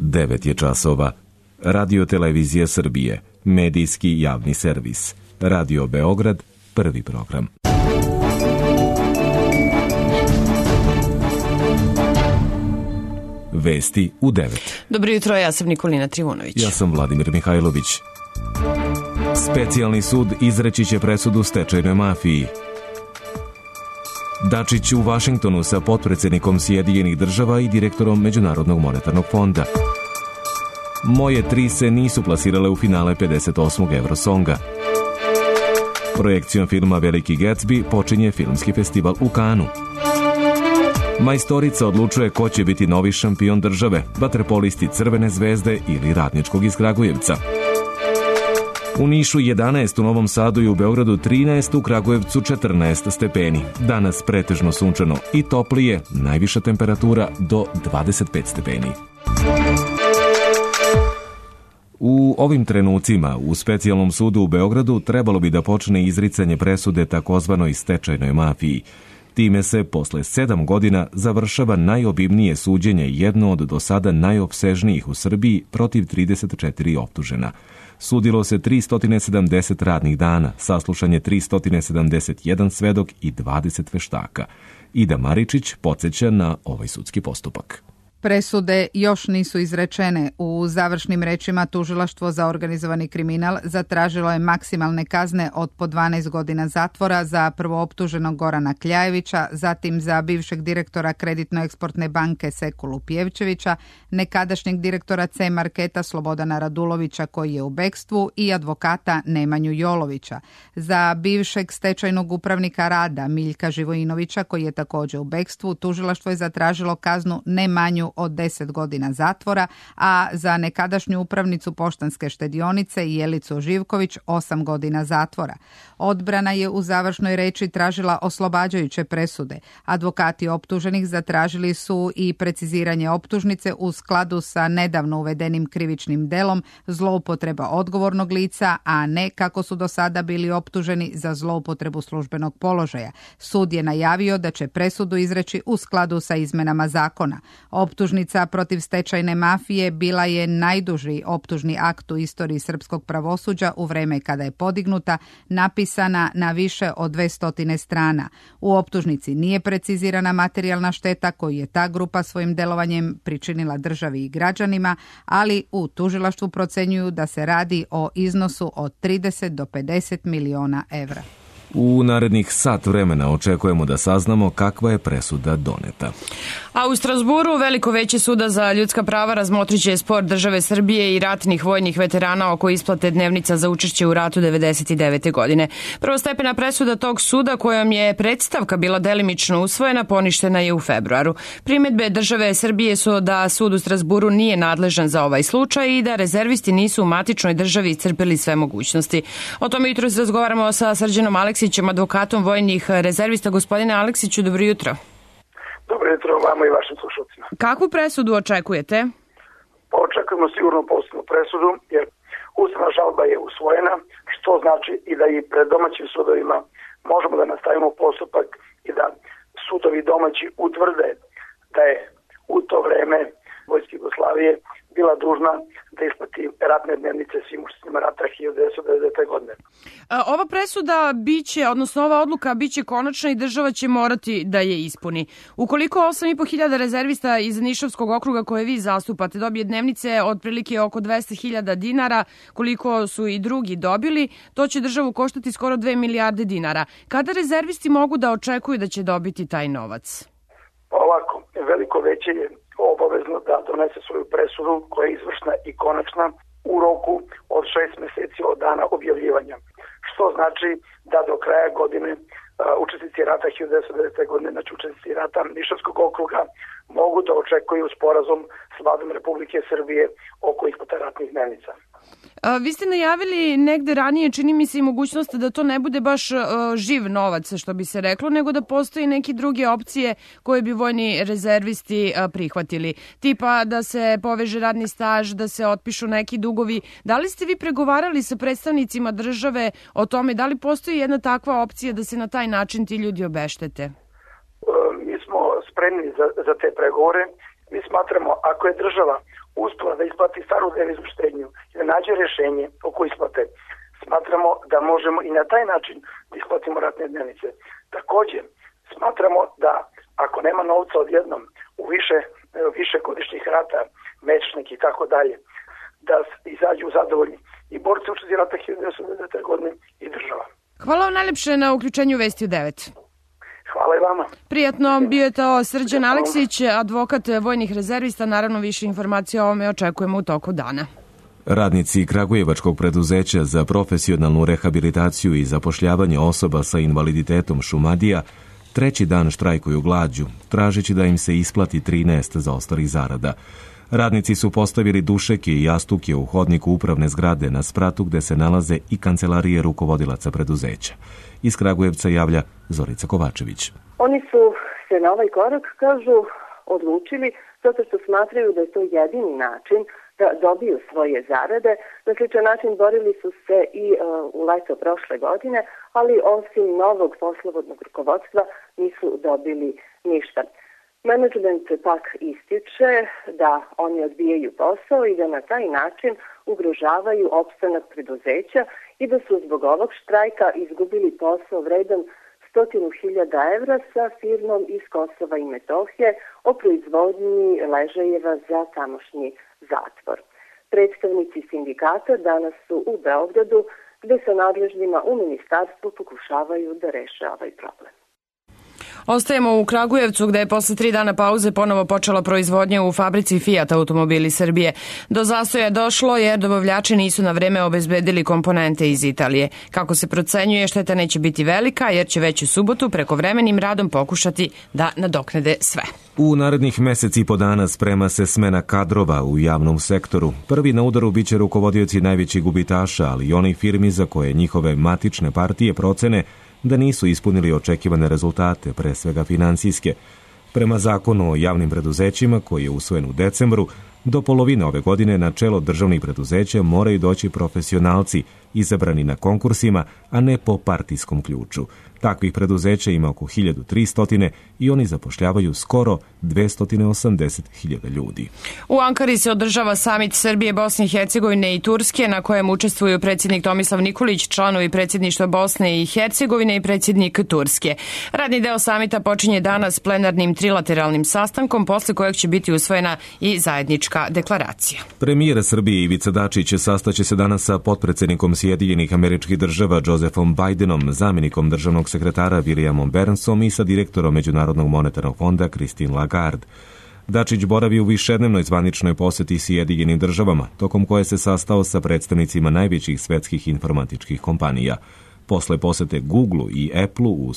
9 je časova. Radio Televizija Srbije, medijski javni servis. Radio Beograd, prvi program. Vesti u 9. Dobro jutro, ja sam Nikolina Trivunović. Ja sam Vladimir Mihajlović. Specijalni sud izreći će presudu stečajnoj mafiji. Dačić u Vašingtonu sa potpredsednikom Sjedinjenih država i direktorom Međunarodnog monetarnog fonda. Moje tri se nisu plasirale u finale 58. Eurosonga. Projekcijom filma Veliki Gatsby počinje filmski festival u Kanu. Majstorica odlučuje ko će biti novi šampion države, vaterpolisti Crvene zvezde ili Radničkog iz Kragujevca. U Nišu 11, u Novom Sadu i u Beogradu 13, u Kragujevcu 14 stepeni. Danas pretežno sunčano i toplije, najviša temperatura do 25 stepeni. U ovim trenucima u Specijalnom sudu u Beogradu trebalo bi da počne izricanje presude takozvanoj stečajnoj mafiji. Time se posle 7 godina završava najobimnije suđenje, jedno od do sada najopsežnijih u Srbiji, protiv 34 optužena. Sudilo se 370 radnih dana, saslušan je 371 svedok i 20 veštaka. Ida Maričić podsjeća na ovaj sudski postupak. Presude još nisu izrečene. U završnim rečima tužilaštvo za organizovani kriminal zatražilo je maksimalne kazne od po 12 godina zatvora za prvooptuženog Gorana Kljajevića, zatim za bivšeg direktora Kreditno-eksportne banke Sekulu Pjevčevića, nekadašnjeg direktora C Marketa Slobodana Radulovića koji je u bekstvu i advokata Nemanju Jolovića. Za bivšeg stečajnog upravnika Rada Miljka Živojinovića koji je također u bekstvu, tužilaštvo je zatražilo kaznu ne manju od 10 godina zatvora, a za nekadašnju upravnicu Poštanske štedionice Jelicu Živković 8 godina zatvora. Odbrana je u završnoj reči tražila oslobađajuće presude. Advokati optuženih zatražili su i preciziranje optužnice u skladu sa nedavno uvedenim krivičnim delom zloupotreba odgovornog lica, a ne kako su do sada bili optuženi za zloupotrebu službenog položaja. Sud je najavio da će presudu izreći u skladu sa izmenama zakona. Optužnica protiv stečajne mafije bila je najduži optužni akt u istoriji srpskog pravosuđa u vreme kada je podignuta, napisana na više od 200 strana. U optužnici nije precizirana materijalna šteta koju je ta grupa svojim delovanjem pričinila državi i građanima, ali u tužilaštvu procenjuju da se radi o iznosu od 30 do 50 miliona evra. U narednih sat vremena očekujemo da saznamo kakva je presuda doneta. A u Strasburu Veliko veće suda za ljudska prava razmotrit će spor države Srbije i ratnih vojnih veterana oko isplate dnevnica za učešće u ratu 1999. godine. Prvostepena presuda tog suda, kojom je predstavka bila delimično usvojena, poništena je u februaru. Primedbe države Srbije su da sud u Strasburu nije nadležan za ovaj slučaj i da rezervisti nisu u matičnoj državi iscrpili sve mogućnosti. O tome jutros razgovaramo sa Srđanom Aleksićem, advokatom vojnih rezervista. Gospodine Aleksiću, dobro jutro. Dobro jutro vama i vašim slušalcima. Kakvu presudu očekujete? Očekujemo sigurno pozitivnu presudu, jer ustavna žalba je usvojena, što znači i da i pred domaćim sudovima možemo da nastavimo postupak i da sudovi domaći utvrde da je u to vreme Vojska Jugoslavije bila dužna da isplati ratne dnevnice svim učesnicima rata 1990. godine. Ova presuda biće, odnosno ova odluka biće konačna i država će morati da je ispuni. Ukoliko 8.500 rezervista iz Nišavskog okruga koje vi zastupate dobije dnevnice otprilike oko 200.000 dinara, koliko su i drugi dobili, to će državu koštati skoro 2 milijarde dinara. Kada rezervisti mogu da očekuju da će dobiti taj novac? Ovako, Veliko veće je obavezno da donese svoju presudu koja je izvršna i konačna u roku od 6 meseci od dana objavljivanja. Što znači da do kraja godine učesnici rata 1990. godine, znači učesnici rata Nišavskog okruga, mogu da očekuju sporazum s Vladom Republike Srbije oko isplate ratnih dnevnica. Vi ste najavili negde ranije, čini mi se, i mogućnost da to ne bude baš živ novac, što bi se reklo, nego da postoji neke druge opcije koje bi vojni rezervisti prihvatili. Tipa da se poveže radni staž, da se otpišu neki dugovi. Da li ste vi pregovarali sa predstavnicima države o tome, da li postoji jedna takva opcija da se na taj način ti ljudi obeštete? Mi smo spremni za te pregovore. Mi smatramo, ako je država uz to država da isplati staru deviznu štednju i da nađe rešenje oko isplate, smatramo da možemo i na taj način da isplatimo ratne dnevnice. Takođe, smatramo da ako nema novca odjednom u više godišnjih rata, mečnik i tako dalje, da izađu zadovoljni i borci učesnici rata 1999. godine i država. Hvala vam najlepše na uključenju Vesti u 9. Hvala i vama. Prijatno, bio je to Srđan Aleksić, advokat vojnih rezervista. Naravno, više informacija o ovome očekujemo u toku dana. Radnici Kragujevačkog preduzeća za profesionalnu rehabilitaciju i zapošljavanje osoba sa invaliditetom Šumadija treći dan štrajkuju glađu, tražeći da im se isplati 13 zaostalih zarada. Radnici su postavili dušeke i jastuke u hodniku upravne zgrade na spratu gde se nalaze i kancelarije rukovodilaca preduzeća. Iz Kragujevca javlja Zorica Kovačević. Oni su se na ovaj korak, kažu, odlučili zato što smatraju da je to jedini način da dobiju svoje zarade. Na sličan način borili su se i u leto prošle godine, ali osim novog poslovodnog rukovodstva nisu dobili ništa. Menadžment pak ističe da oni odbijaju posao i da na taj način ugrožavaju opstanak preduzeća i da su zbog ovog štrajka izgubili posao vredan 100.000 evra sa firmom iz Kosova i Metohije o proizvodnji ležajeva za tamošnji zatvor. Predstavnici sindikata danas su u Beogradu, gde sa nadležnima u ministarstvu pokušavaju da reše ovaj problem. Ostajemo u Kragujevcu gde je posle 3 dana pauze ponovo počela proizvodnja u fabrici Fiat Automobili Srbije. Do zastoja je došlo jer dobavljači nisu na vreme obezbedili komponente iz Italije. Kako se procenjuje, šteta neće biti velika jer će već u subotu prekovremenim radom pokušati da nadoknade sve. U narednih meseci i po dana sprema se smena kadrova u javnom sektoru. Prvi na udaru biće rukovodioci najvećih gubitaša, ali i onih firmi za koje njihove matične partije procene da nisu ispunili očekivane rezultate, pre svega finansijske. Prema zakonu o javnim preduzećima, koji je usvojen u decembru, do polovine ove godine na čelo državnih preduzeća moraju doći profesionalci, izabrani na konkursima, a ne po partijskom ključu. Takvih preduzeća ima oko 1300 i oni zapošljavaju skoro 280.000 ljudi. U Ankari se održava samit Srbije, Bosne i Hercegovine i Turske, na kojem učestvuju predsjednik Tomislav Nikolić, članovi predsjedništva Bosne i Hercegovine i predsjednik Turske. Radni deo samita počinje danas plenarnim trilateralnim sastankom, posle kojeg će biti usvojena i zajednička deklaracija. Premijer Srbije Ivica Dačić sastaće se danas sa potpredsjednikom Sjedinjenih Američkih Država Josephom Bidenom, zamjenikom državnog sekretara Williamom Burnsom i sa direktorom Međunarodnog monetarnog fonda Christine Lagarde. Dačić boravi u višednevnoj zvaničnoj poseti Sjedinjenim Državama, tokom koje se sastao sa predstavnicima najvećih svetskih informatičkih kompanija. Posle posete Google i Apple u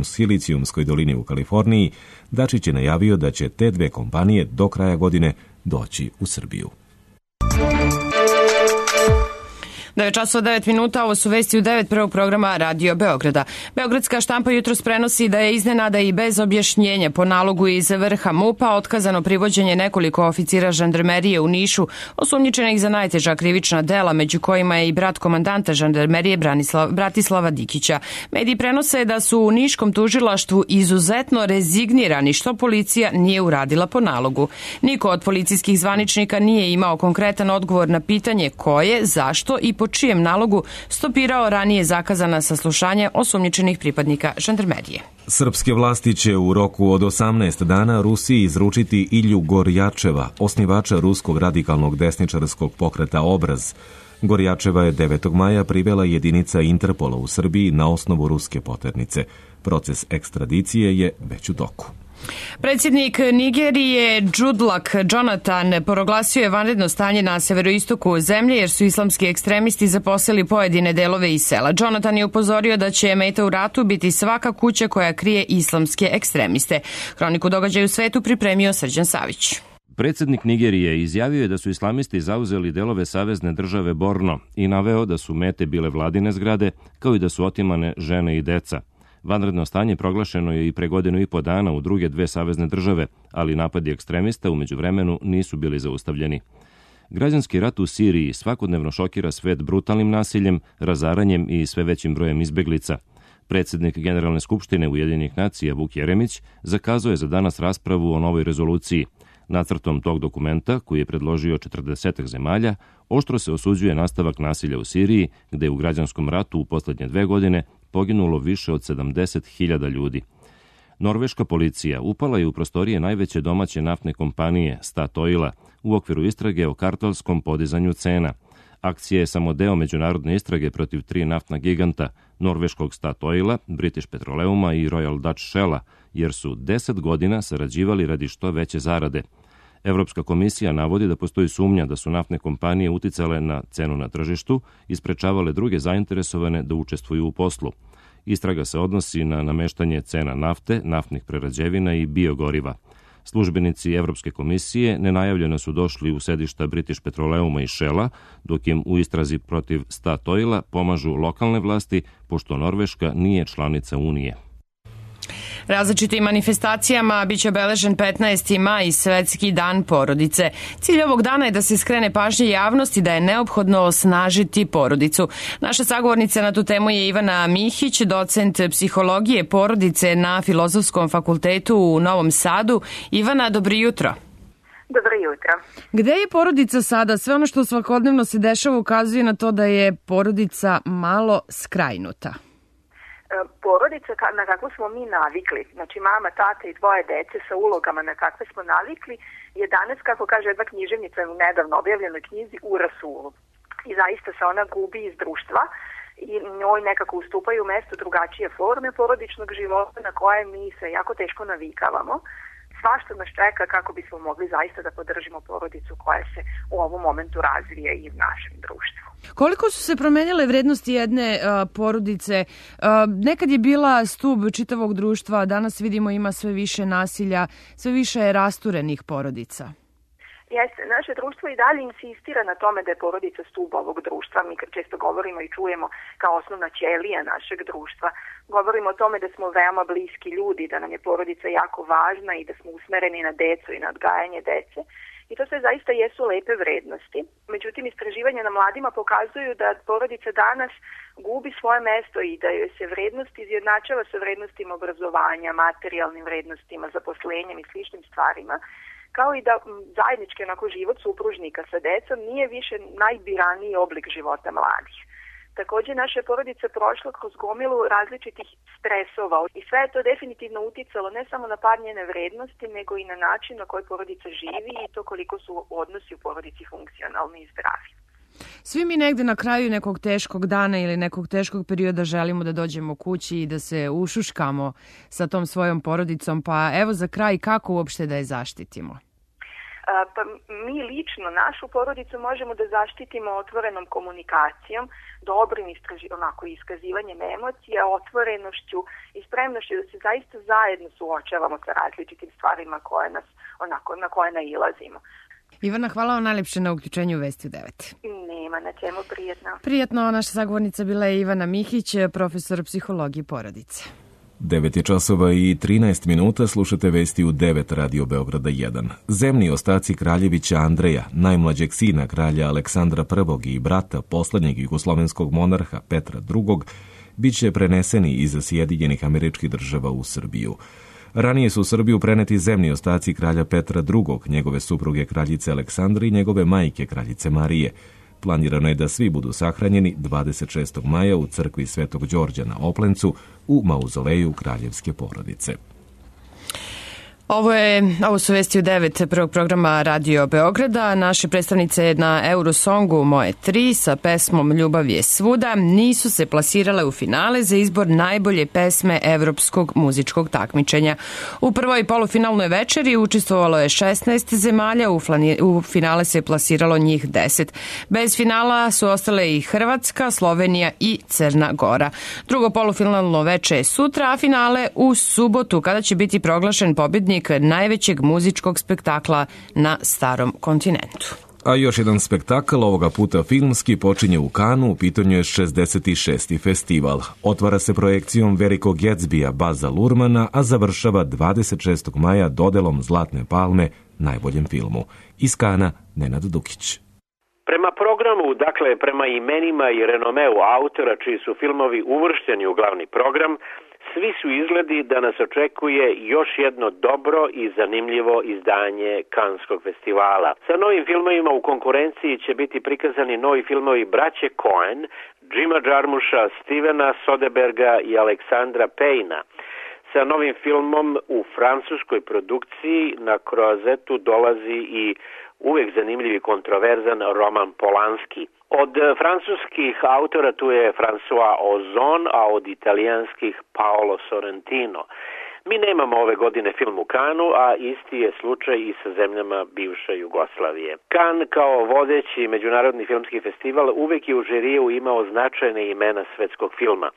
Silicijumskoj dolini u Kaliforniji, Dačić je najavio da će te dve kompanije do kraja godine doći u Srbiju. 9:09, ovo su vesti u 9 prvog programa Radio Beograda. Beogradska štampa jutros prenosi da je iznenada i bez objašnjenja po nalogu iz vrha MUP-a otkazano privođenje nekoliko oficira žandarmerije u Nišu, osumnjičenih za najteža krivična dela, među kojima je i brat komandanta žandarmerije Bratislava Dikića. Mediji prenose da su u Niškom tužilaštvu izuzetno rezignirani što policija nije uradila po nalogu. Niko od policijskih zvaničnika nije imao konkretan odgovor na pitanje ko je, zašto i po čijem nalogu stopirao ranije zakazana saslušanja osumnjičenih pripadnika žandarmerije. Srpske vlasti će u roku od 18 dana Rusiji izručiti Ilju Gorjačeva, osnivača ruskog radikalnog desničarskog pokreta Obraz. Gorjačeva je 9. maja privela jedinica Interpola u Srbiji na osnovu ruske poternice. Proces ekstradicije je već u toku. Predsjednik Nigerije Goodluck Jonathan proglasio je vanredno stanje na severoistoku zemlje jer su islamski ekstremisti zaposeli pojedine delove iz sela. Jonathan je upozorio da će meta u ratu biti svaka kuća koja krije islamske ekstremiste. Hroniku događaja u svetu pripremio Srđan Savić. Predsjednik Nigerije izjavio je da su islamisti zauzeli delove savezne države Borno i naveo da su mete bile vladine zgrade, kao i da su otimane žene i deca. Vanredno stanje proglašeno je i pre 1,5 dana u druge dve savezne države, ali napadi ekstremista u međuvremenu nisu bili zaustavljeni. Građanski rat u Siriji svakodnevno šokira svet brutalnim nasiljem, razaranjem i sve većim brojem izbeglica. Predsjednik Generalne skupštine Ujedinjenih nacija Vuk Jeremić zakazao je za danas raspravu o novoj rezoluciji. Nacrtom tog dokumenta, koji je predložio 40 zemalja, oštro se osuđuje nastavak nasilja u Siriji, gde je u građanskom ratu u poslednje 2 godine poginulo više od 70.000 ljudi. Norveška policija upala je u prostorije najveće domaće naftne kompanije Statoila u okviru istrage o kartelskom podizanju cena. Akcija je samo deo međunarodne istrage protiv 3 naftna giganta, norveškog Statoila, British Petroleuma i Royal Dutch Shella, jer su 10 godina sarađivali radi što veće zarade. Evropska komisija navodi da postoji sumnja da su naftne kompanije uticale na cenu na tržištu i sprečavale druge zainteresovane da učestvuju u poslu. Istraga se odnosi na nameštanje cena nafte, naftnih prerađevina i biogoriva. Službenici Evropske komisije nenajavljeno su došli u sedišta British Petroleuma i Shella, dok im u istrazi protiv Statoila pomažu lokalne vlasti, pošto Norveška nije članica Unije. Različitim manifestacijama biće obeležen 15. maj, Svetski dan porodice. Cilj ovog dana je da se skrene pažnje javnosti da je neophodno osnažiti porodicu. Naša sagovornica na tu temu je Ivana Mihić, docent psihologije porodice na Filozofskom fakultetu u Novom Sadu. Ivana, dobro jutro. Dobro jutro. Gde je porodica sada? Sve ono što svakodnevno se dešava ukazuje na to da je porodica malo skrajnuta. Porodica na kakvu smo mi navikli, znači mama, tata i 2 dece sa ulogama na kakve smo navikli, je danas, kako kaže jedna književnica u nedavno objavljenoj knjizi, u rasulu. I zaista se ona gubi iz društva i njoj nekako ustupaju mesto drugačije forme porodičnog života na koje mi se jako teško navikavamo. Svašta nas čeka kako bismo mogli zaista da podržimo porodicu koja se u ovom momentu razvija i u našem društvu. Koliko su se promenjale vrednosti jedne porodice? Nekad je bila stub čitavog društva, danas vidimo ima sve više nasilja, sve više je rasturenih porodica. Jeste, naše društvo i dalje insistira na tome da je porodica stub ovog društva. Mi često govorimo i čujemo kao osnovna ćelija našeg društva. Govorimo o tome da smo veoma bliski ljudi, da nam je porodica jako važna i da smo usmereni na decu i na odgajanje dece. I to sve zaista jesu lepe vrednosti. Međutim, istraživanja na mladima pokazuju da porodica danas gubi svoje mesto i da joj se vrednost izjednačava sa vrednostima obrazovanja, materijalnim vrednostima, zaposlenjem i sličnim stvarima, kao i da zajednički život supružnika sa decom nije više najbiraniji oblik života mladih. Također, naša porodica prošla kroz gomilu različitih stresova i sve je to definitivno uticalo ne samo na par njene vrednosti, nego i na način na koji porodica živi i to koliko su odnosi u porodici funkcionalni i zdravi. Svi mi negde na kraju nekog teškog dana ili nekog teškog perioda želimo da dođemo kući i da se ušuškamo sa tom svojom porodicom, pa evo za kraj kako uopšte da je zaštitimo? Pa mi lično našu porodicu možemo da zaštitimo otvorenom komunikacijom, dobrim iskazivanjem emocija, otvorenošću i spremnošću da se zaista zajedno suočavamo sa različitim stvarima na koje nailazimo. Ivana, hvala vam najlepše na uključenju u Vesti u 9. Nema na čemu, prijetno. Prijetno, naša sagovornica bila je Ivana Mihić, profesor psihologije porodice. 9:13 slušate Vesti u 9 Radio Beograda 1. Zemni ostaci kraljevića Andreja, najmlađeg sina kralja Aleksandra I i brata poslednjeg jugoslovenskog monarha Petra II, bit će preneseni iz Sjedinjenih Američkih Država u Srbiju. Ranije su u Srbiju preneti zemni ostaci kralja Petra II, njegove supruge kraljice Aleksandre i njegove majke kraljice Marije. Planirano je da svi budu sahranjeni 26. maja u crkvi Svetog Đorđa na Oplencu u mauzoleju kraljevske porodice. Ovo su Vesti u 9 prvog programa Radio Beograda. Naše predstavnice na Eurosongu Moje 3 sa pesmom Ljubav je svuda nisu se plasirale u finale za izbor najbolje pesme evropskog muzičkog takmičenja. U prvoj polufinalnoj večeri učestvovalo je 16 zemalja, u finale se plasiralo njih 10. Bez finala su ostale i Hrvatska, Slovenija i Crna Gora. Drugo polufinalno veče je sutra, a finale u subotu kada će biti proglašen pobjednik najvećeg muzičkog spektakla na starom kontinentu. A još jedan spektakl, ovoga puta filmski, počinje u Kanu, u pitanju je 66. festival. Otvara se projekcijom Velikog Gatsbya Baza Lurmana, a završava 26. maja dodelom Zlatne palme najboljem filmu. Iz Kana, Nenad Dukić. Prema programu, prema imenima i renomeu autora čiji su filmovi uvršteni u glavni program, svi su izgledi da nas očekuje još jedno dobro i zanimljivo izdanje Kanskog festivala. Sa novim filmovima u konkurenciji će biti prikazani novi filmovi braće Coen, Jima Jarmusha, Stevena Soderberga i Aleksandra Payna. Sa novim filmom u francuskoj produkciji na Croisetu dolazi i uvijek zanimljiv i kontroverzan Roman Polanski. Od francuskih autora tu je François Ozon, a od italijanskih Paolo Sorrentino. Mi nemamo ove godine film u Kanu, a isti je slučaj i sa zemljama bivše Jugoslavije. Kan kao vodeći međunarodni filmski festival uvijek je u žiriju imao značajne imena svetskog filma.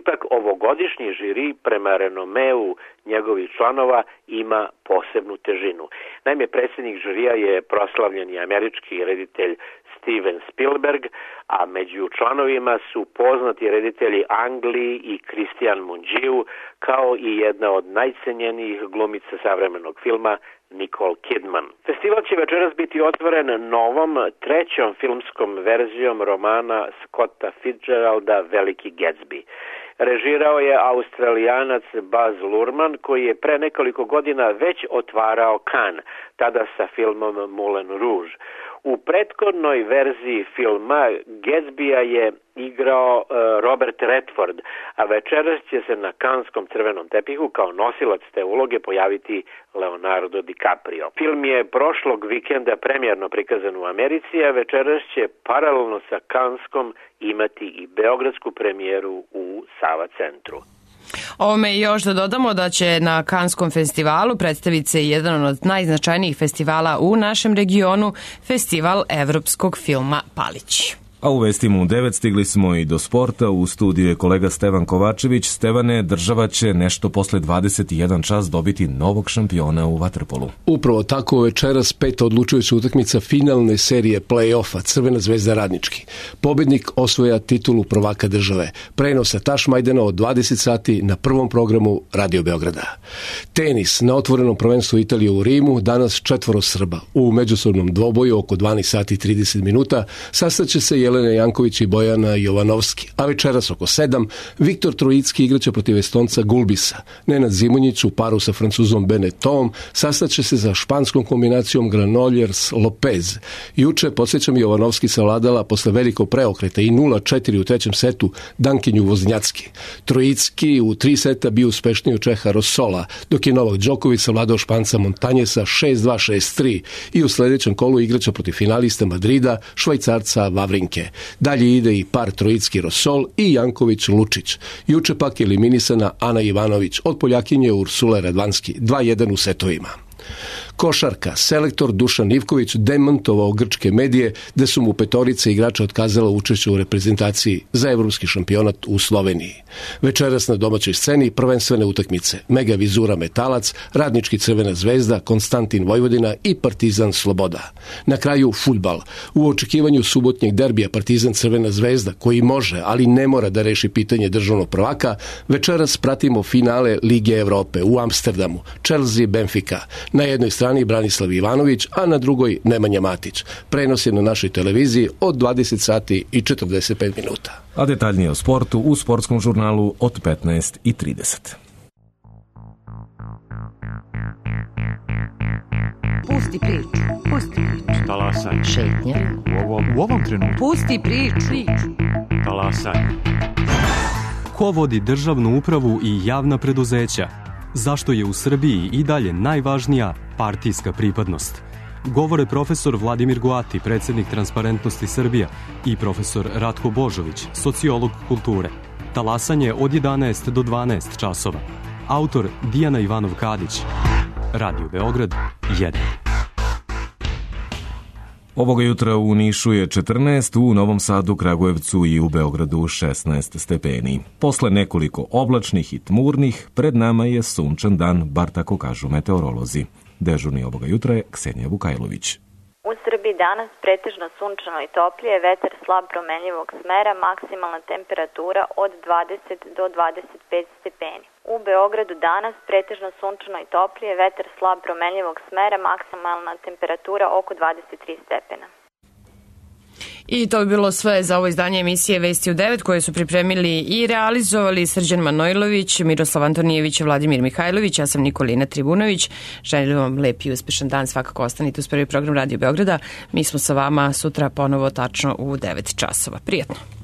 Ipak ovogodišnji žiri prema renomeu njegovih članova ima posebnu težinu. Naime, predsjednik žirija je proslavljeni američki reditelj Steven Spielberg, a među članovima su poznati reditelji Ang Lee i Christian Mungiu, kao i jedna od najcenjenijih glumica savremenog filma Nicole Kidman. Festival će večeras biti otvoren novom, trećom filmskom verzijom romana Scotta Fitzgeralda Veliki Gatsby. Režirao je Australijanac Baz Luhrmann, koji je pre nekoliko godina već otvarao Cannes, tada sa filmom Moulin Rouge. U prethodnoj verziji filma Gatsbya je igrao Robert Redford, a večeras će se na Canneskom crvenom tepihu kao nosilac te uloge pojaviti Leonardo DiCaprio. Film je prošlog vikenda premijerno prikazan u Americi, a večeras će paralelno sa Canneskom imati i beogradsku premijeru u Sava centru. Ovome još da dodamo da će na Kanskom festivalu predstaviti se jedan od najznačajnijih festivala u našem regionu, Festival evropskog filma Palić. A u vestima u 9 stigli smo i do sporta. U studiju je kolega Stevan Kovačević. Stevane, država će nešto posle 21 čas dobiti novog šampiona u vaterpolu. Upravo tako, večeras peta odlučujuća utakmica finalne serije play-offa Crvena zvezda Radnički. Pobednik osvoja titulu prvaka države. Prenos sa Tašmajdana od 20 sati na prvom programu Radio Beograda. Tenis na otvorenom prvenstvu Italije u Rimu, danas 4 Srba. U međusobnom dvoboju oko 12 sati 30 minuta sastaće se Jelena Janković i Bojana Jovanovski, a večeras oko 7 Viktor Trojicki igraće protiv Estonca Gulbisa. Nenad Zimonjić u paru sa Francuzom Benetom sastaće se za španskom kombinacijom Granollers-Lopez. Juče, podsjećam, Jovanovski savladala posle velikog preokreta i 0-4 u trećem setu Dankinju Voznjacki. Trojicki u 3 seta bio uspešniji od Čeha Rosola, dok je Novak Đoković savladao Španca Montanjesa 6-2, 6-3 i u sljedećem kolu igraće protiv finalista Madrida, Švajcarca Vavrinke. Dalje ide i par Trojicki Rosol i Janković Lučić. Juče pak je eliminisana Ana Ivanović od Poljakinje Ursule Radvanski 2-1 u setovima. Košarka. Selektor Dušan Ivković demantovao grčke medije da su mu petorica igrača otkazala učešće u reprezentaciji za evropski šampionat u Sloveniji. Večeras na domaćoj sceni prvenstvene utakmice: Mega Vizura Metalac, Radnički Crvena zvezda, Konstantin Vojvodina i Partizan Sloboda. Na kraju fudbal. U očekivanju subotnjeg derbija Partizan Crvena zvezda, koji može, ali ne mora da reši pitanje državnog prvaka, večeras pratimo finale Lige Evrope u Amsterdamu, Chelsea Benfica. Na jednoj strani Branislav Ivanović, a na drugoj Nemanja Matić. Prenos je na našoj televiziji od 20 sati i 45 minuta. A detaljnije o sportu u sportskom žurnalu od 15:30. Pusti priču. Pusti priču. Talasaj. Šetnja. U ovom trenutku. Pusti priču. Talasaj. Ko vodi državnu upravu i javna preduzeća? Zašto je u Srbiji i dalje najvažnija partijska pripadnost? Govore profesor Vladimir Goati, predsjednik Transparentnosti Srbija, i profesor Ratko Božović, sociolog kulture. Talasanje od 11 do 12 časova. Autor Dijana Ivanov-Kadić. Radio Beograd 1. Ovoga jutra u Nišu je 14, u Novom Sadu, Kragujevcu i u Beogradu 16 stepeni. Posle nekoliko oblačnih i tmurnih, pred nama je sunčan dan, bar tako kažu meteorolozi. Dežurni ovoga jutra je Ksenija Vukajlović. U Srbiji danas pretežno sunčano i toplije, vetar slab promenljivog smera, maksimalna temperatura od 20 do 25 stepeni. U Beogradu danas pretežno sunčano i toplije, vetar slab promenljivog smera, maksimalna temperatura oko 23 stepena. I to bi bilo sve za ovo izdanje emisije Vesti u 9 koje su pripremili i realizovali Srđan Manojlović, Miroslav Antonijević, Vladimir Mihajlović, ja sam Nikolina Tribunović. Želim vam lep i uspešan dan, svakako ostanite uz prvi program Radio Beograda. Mi smo sa vama sutra ponovo tačno u 9 časova. Prijatno.